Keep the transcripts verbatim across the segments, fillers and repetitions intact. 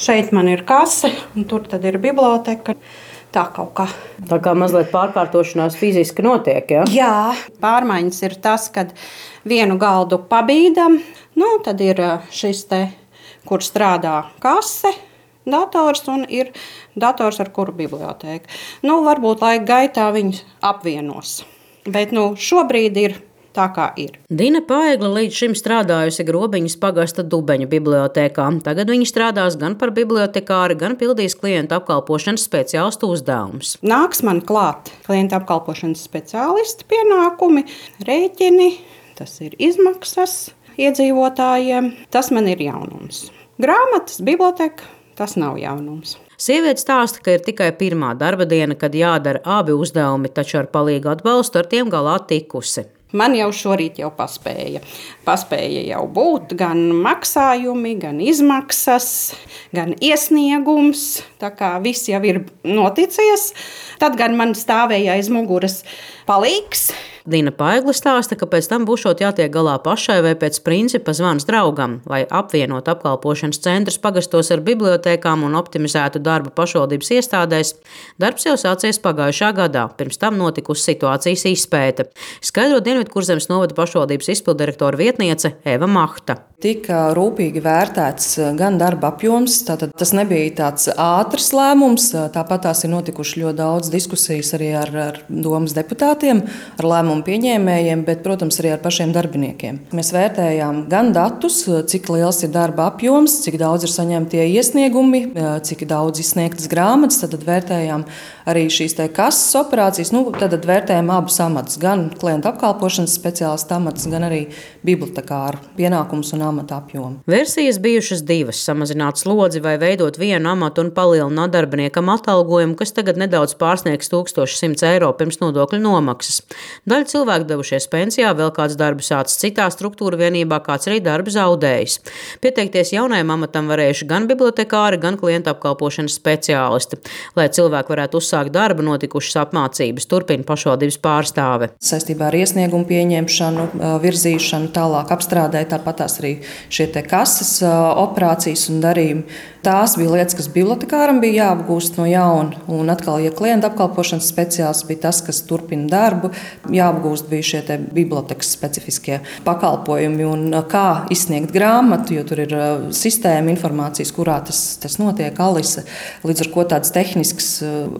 Šeit man ir kase, un tur tad ir biblioteka. Tā kaut kā. Tā kā mazliet pārkārtošanās fiziski notiek, ja? Jā, pārmaiņas ir tas, kad vienu galdu pabīdam, nu, tad ir šis te, kur strādā kase, dators un ir dators, ar kuru bibliotēka. Nu, varbūt laika gaitā viņus apvienos, bet nu, šobrīd ir tā, kā ir. Dina Paegla līdz šim strādājusi Grobiņas pagasta Dubeņu bibliotēkā. Tagad viņa strādās gan par bibliotekāri, gan pildīs klientu apkalpošanas speciālistu uzdevumus. Nāks man klāt klientu apkalpošanas speciālisti pienākumi, rēķini, tas ir izmaksas iedzīvotājiem. Tas man ir jaunums. Grāmatas, biblioteka, tas nav jaunums. Sieviete stāsta, ka ir tikai pirmā darba diena, kad jādara abi uzdevumi, taču ar palīgu atbalstu ar tiem galā tikusi. Man jau šorīt jau paspēja. Paspēja jau būt gan maksājumi, gan izmaksas, gan iesniegums. Tā kā viss jau ir noticies. Tad gan man stāvēja aiz muguras palīgs. Dina Paegla stāsta, ka pēc tam būšot jātiek galā pašai vai pēc principa zvans draugam, lai apvienot apkalpošanas centrus pagastos ar bibliotēkām un optimizētu darbu pašvaldības iestādēs. Darbs jau sācies pagājušā gadā, pirms tam notikusi situācijas izpēte. Skaidro Dienvidkurzemes novada pašvaldības izpildirektora vietniece Eva Mahta. Tika rūpīgi vērtēts gan darba apjoms, tātad tas nebija tāds ātrs lēmums, tāpat tās ir notikuši ļoti daudz diskusijas arī ar, ar domas deputātiem, ar lēmumu pieņēmējiem, bet, protams, arī ar pašiem darbiniekiem. Mēs vērtējām gan datus, cik liels ir darba apjoms, cik daudz ir saņemtie iesniegumi, cik daudz izsniegtas grāmatas, tad vērtējām arī šīs te kases operācijas, nu, tad vērtējām abus amatus, gan klientu apkalpošanas speciālistu amatus, gan arī bibliotekāru pienākumus un amata apjomu. Versijas bijušas divas – samazināt slodzi vai veidot vienu amatu un palielināt darbiniekam atalgojumu, kas tagad nedaudz pārsniegs tūkstoš simts eiro pirms nodokļu nomaksas. Daļa cilvēku devušies pensijā, vēl kāds darbu sācis citā struktūra vienībā, kāds arī darbu zaudējis. Pieteikties jaunajam amatam varējuši gan bibliotekāri, gan klientu apkalpošanas speciālisti. Lai cilvēki varētu uzsākt darbu, notikušas apmācības, turpina pašvaldības pārstāve. Saistībā ar iesniegumu pieņemšanu, virzīšanu, tālāk apstrādē, tāpat tās arī šie te kases operācijas un darījumi. Tās bija lietas, kas bibliotekāram bija jāapgūst no jauna, un atkal, ja klienta apkalpošanas speciālists bija tas, kas turpina darbu, jāapgūst bija šie te bibliotekas specifiskie pakalpojumi un kā izsniegt grāmatu, jo tur ir sistēma informācijas, kurā tas, tas notiek, Alise. Līdz ar ko tādas tehniskas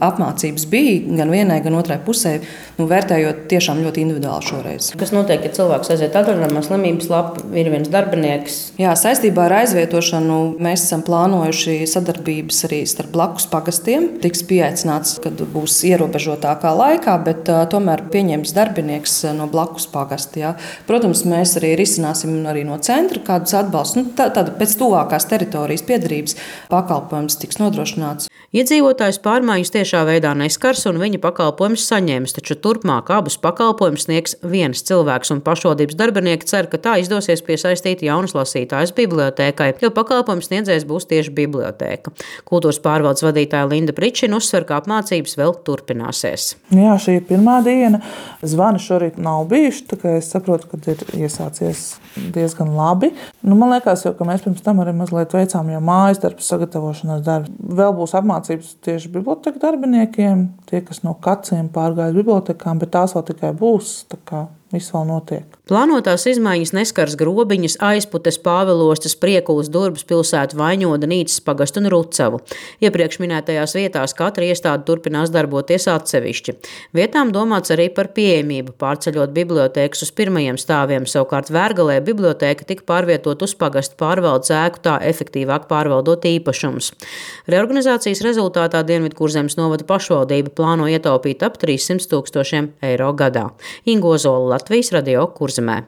apmācības bija gan vienai, gan otrai pusē, nu, vērtējot tiešām ļoti individuāli šoreiz. Kas notiek, ja cilvēks aiziet atvaļinājumā, slimības lapu, ir viens darbinieks? Jā, saistībā ar aizvietošanu mēs esam plānojuši sadarbības arī starp blakus pagastiem. Tiks pieaicināts, kad būs ierobežotākā laikā, bet uh, tomēr pieņems darbinieks no blakus pagasta. Jā. Protams, mēs arī risināsim arī no centra kādus atbalstus. Nu, tā, tāda pēc tuvākās teritorijas piedarības pakalpojums tiks nodrošināts. Iedzīvotājus pārmaiņas tiešā veidā neskars un viņa pakalpojumus saņems, taču turpmāk abus pakalpojumus sniegs viens cilvēks, un pašvaldības darbinieki cer, ka tā izdosies piesaistīt jaunus lasītājus bibliotēkai, jo pakalpojumu sniedzējs būs tieši bibliotēka. Kultūras pārvaldes vadītāja Linda Pričina uzsver, ka apmācības vēl turpināsies. Jā, šī ir pirmā diena. Zvani šorīt nav bijuši, tā kā es saprotu, ka ir iesācies diezgan labi. Nu, man liekas, jau, ka mēs pirms tam arī mazliet veicām jau mājas darbu, sagatavošanās darbu. Vēl būs apmācības tieši biblioteka darbiniekiem, tie, kas no kaciem pārgāja bibliotekām, bet tās vēl tikai būs, tā kā viss vēl notiek. Plānotās izmaiņas neskars Grobiņas, Aizputes, Pāvilostes, Priekulas, Durbas pilsētu, Vaņoda, Nīcas pagastu un Rucavu. Iepriekš minētajās vietās katra iestāde turpinās darboties atsevišķi. Vietām domāts arī par pieejamību, pārceļot bibliotēkas uz pirmajiem stāviem, savukārt Vērgalē bibliotēka tika pārvietot uz pagastu pārvaldes ēku, tā efektīvāk pārvaldot īpašumus. Reorganizācijas rezultātā Dienvidkurzemes novada pašvaldība plāno ietaupīt ap trīssimt tūkstošiem eiro gadā. Ingo Zola, Latvijas radio Kurzemē.